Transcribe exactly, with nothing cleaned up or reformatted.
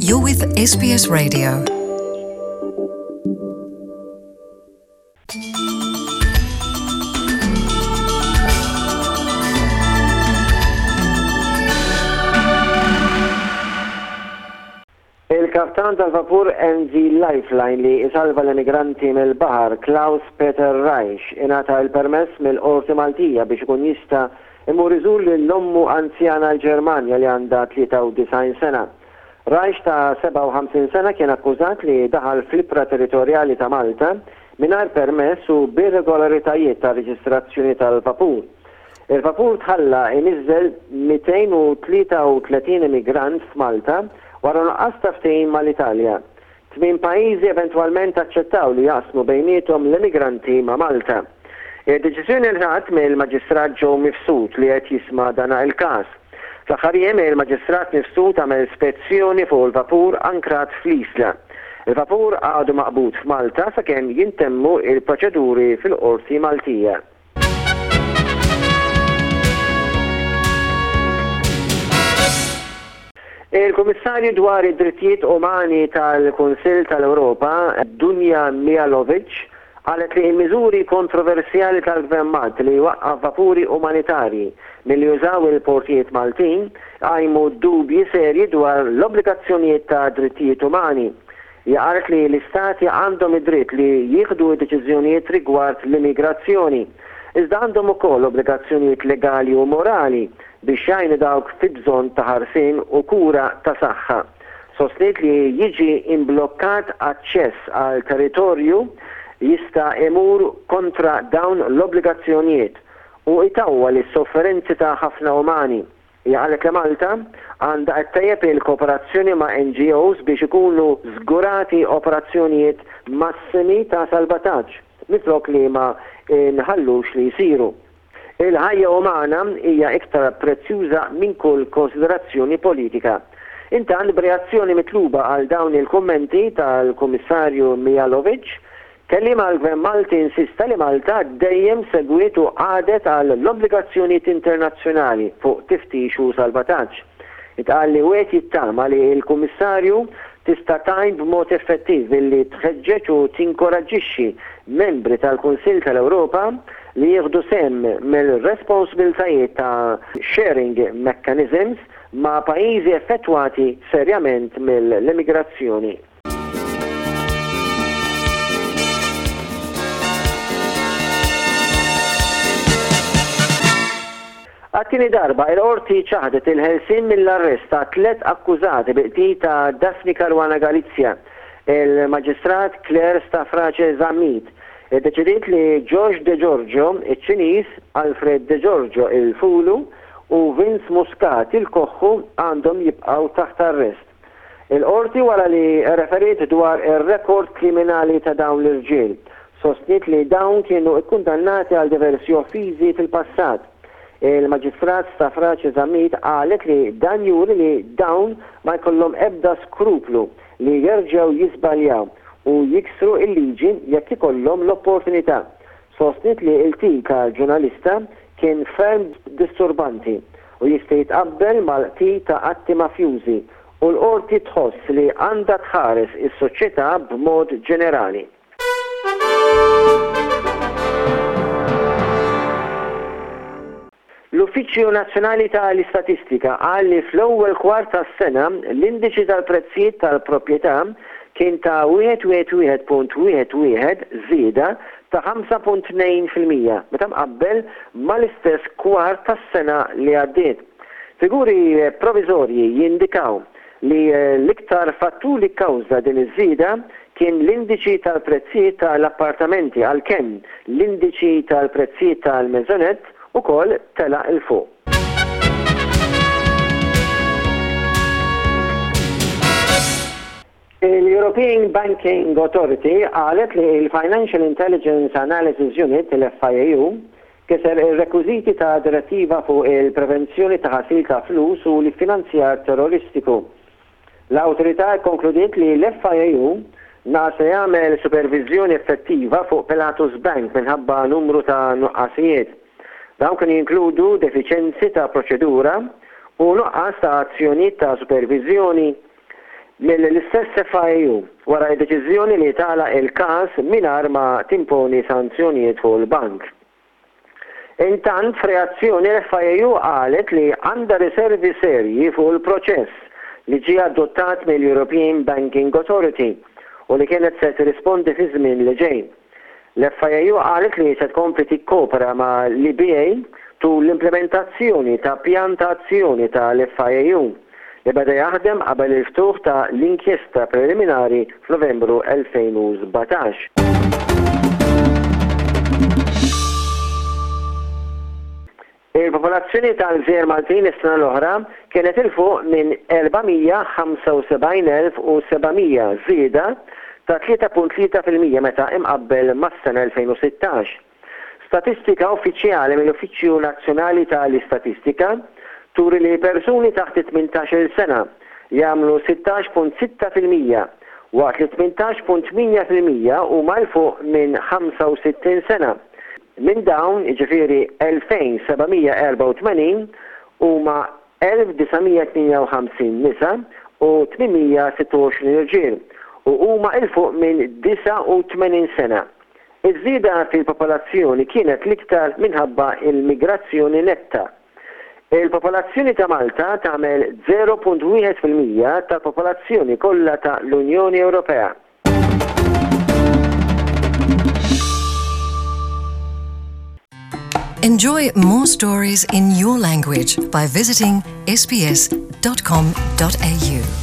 You're with S B S Radio. Il-kaptan tal-vapur M V Lifeline li isalva l-emigranti mill-baħar, Klaus Peter Reisch, ingħata il-permess mill-Qorti Maltija biex ikun jista' imur iżur lil ommu anzjana l-Ġermanja li għandha tlieta u disgħin sena. Reisch ta' sebgħa u ħamsin sena kien akkużat li daħal fl-ibħra territorjali ta' Malta mingħajr permess u b'irregolaritajiet ta' reġistrazzjoni tal-vapur. Il-vapur tħalla iniżżel mitejn u tlieta u tletin immigrant f'Malta wara nuqqas ta' ftehim mal-Italja. Tmien pajjiżi eventwalment aċċettaw li jaqsmu bejniethom l-immigranti ma' Malta. Id-deċiżjoni ngħatat mill-Maġistrat Joe Mifsud li qed jisma' dana il-każ. Fl-aħħar jiem il-Maġistrat Mifsud għamel spezzjoni fuq il-vapur ankrat fl-Isla. Il-vapur għadu maqbud f'Malta sakemm jintemmu il-proċeduri fil-Qorti Maltija. Il-Kummissarju dwar id-Drittijiet Umani tal-Kunsill tal-Ewropa, Dunja Mijatovic, qalet li l-miżuri kontroversjali tal-Gvern Malti li waqqaf vapuri umanitarji milli jużaw il-portijiet Maltin qajmu dubji serji dwar l-obbligazzjonijiet ta' drittijiet umani. Qalet li l-istati għandhom id-dritt li jieħdu deċiżjonijiet rigward l-immigrazzjoni, iżda għandhom ukoll obbligazzjonijiet legali u morali biex jgħinu dawk fi bżonn ta' ħarsien u kura ta' saħħa. Sostniet li jiġi imblokkat aċċess għal territorju jista' imur kontra dawn l-obbligazzjonijiet u itawwal is-sofferenzi ta' ħafna umani. Hija qalet li Malta għandha ttejjeb il-kooperazzjoni ma' N G Os biex ikunu żgurati operazzjonijiet massimi ta' salvataġġ minflok li ma nħallux li jsiru. Il-ħajja umana hija iktar prezzjuża minn kull konsiderazzjoni politika. Intant, b'reazzjoni mitluba għal dawn il-kummenti tal-Kummissarju Mijatovic, kelliem għall-Gvern Malti insista li Malta dejjem segwiet u qagħdet għal l-obbligazzjonijiet internazzjonali fuq tiftix u salvataġġ. Intqal li wieħed jittama li l-Kummissarju tista' tgħin b'mod effettiv billi tħeġġeġ u tinkoraġġixxi membri tal-Kunsill tal-Ewropa li jieħdu sehem mill-responsabbiltajiet ta' sharing mechanisms ma' pajjiżi effettwati serjament mill-immigrazzjoni. Għat-tieni darba il-qorti ċaħdet il-ħelsin mill-arrest ta' tlet akkużati bil-qtil ta' Daphne Caruana Galizia. Il-Maġistrat Claire Stafrace Zammit iddeċidiet li George De Giorgio, iċ-Ċiniż, Alfred De Giorgio il-Fulu u Vince Muscat il-Koħħu għandhom jibqgħu taħt arrest. Il-qorti, wara li referiet dwar ir-rekord kriminali ta' dawn l-irġiel, sostniet li dawn kienu ikkundannati għal diversi offiżi fil-passat. Il-Maġistrat Stafrace Zammit qalet li dan juri li dawn ma jkollhom ebda skruplu li jerġgħu jiżbaljaw u jiksru il-liġi jekk ikollhom l-opportunità. Sostniet li l-qtil tal-ġurnalista kien ferm disturbanti u jista' jitqabbel mal-qtil ta' atti mafjużi u l-qorti tħoss li għandha tħares is-soċjetà b'mod ġenerali. L-Uffiċċju Nazzjonali tal-Istatistika qal li fl-ewwel kwart tas-sena l-indiċi tal-prezzijiet tal-proprjetà kien ta' wieħed wieħed wieħed punt wieħed wieħed, żieda ta' ħamsa punt tnejn fil-mija meta mqabbel mal-istess kwart tas-sena li għaddiet. Figuri provizorji jindikaw li l-iktar fattur li kkawża din iż-żieda kien l-indiċi tal-prezzijiet tal-appartamenti, għalkemm l-indiċi tal-prezzijiet tal-maisonette ukoll tela' 'l fuq. Il-European Banking Authority qalet li il-Financial Intelligence Analysis Unit, l-F I A U, kiser il-rekwiżiti ta' direttiva fuq il-prevenzjoni ta' ħasil ta' flus u l-finanzjar terroristiku. L-awtorità konkludiet li l-F I A U naqas jagħmel supervizjoni effettiva fuq Pilatus Bank minħabba numru ta' nuqqasijiet. Dawn kienu jinkludu defiċenzi ta' proċedura u nuqqas ta' azzjonijiet ta' supervizjoni. mill-istess F I U wara d-deċiżjoni li tagħlaq il-każ mingħajr ma timponi sanzjonijiet fuq il-bank. Intant, f'reazzjoni, l-F I U qalet li għandha riservi serji fuq il-proċess li ġie adottat mill-European Banking Authority u li kienet se tirrispondi fi żmien li ġej. L-F I U qalet li se tkompli tikkopera ma' l-E B A tul l-implementazzjoni ta' pjan ta' azzjoni tal-F I U li beda jaħdem qabel il-ftuħ ta' l-inkjesta preliminari f'Novembru elfejn u sbatax. Il-popolazzjoni tal-Gżejjer Maltin is-sena l-oħra kienet 'il fuq minn erba' mija ħamsa u sebgħin elf u seba' mija, żieda ta' tlieta punt tlieta fil-mija meta imqabbel mas-sena elfejn u sittax. Statistika uffiċjali mill-Uffiċċju Nazzjonali tal-Istatistika turi li persuni taħt it-tmintax-il sena jagħmlu sittax punt sitta fil-mija, waqt li tmintax punt tmienja fil-mija huma 'l fuq minn ħamsa u sittin sena. Minn dawn, jiġifieri elfejn seba' mija erbgħa u tmenin, huma elf disa' mija tmienja u ħamsin nisa u tmien mija sitta u għoxrin irġiel u huma 'l fuq minn disgħa u tmenin sena. Iż-żieda fil-popolazzjoni kienet l-iktar minħabba il-migrazzjoni netta. Il-popolazzjoni ta' Malta tagħmel żero punt wieħed fil-mija tal-popolazzjoni kollha ta' l-Unjoni Ewropea. Enjoy more stories in your language by visiting S B S dot com dot A U.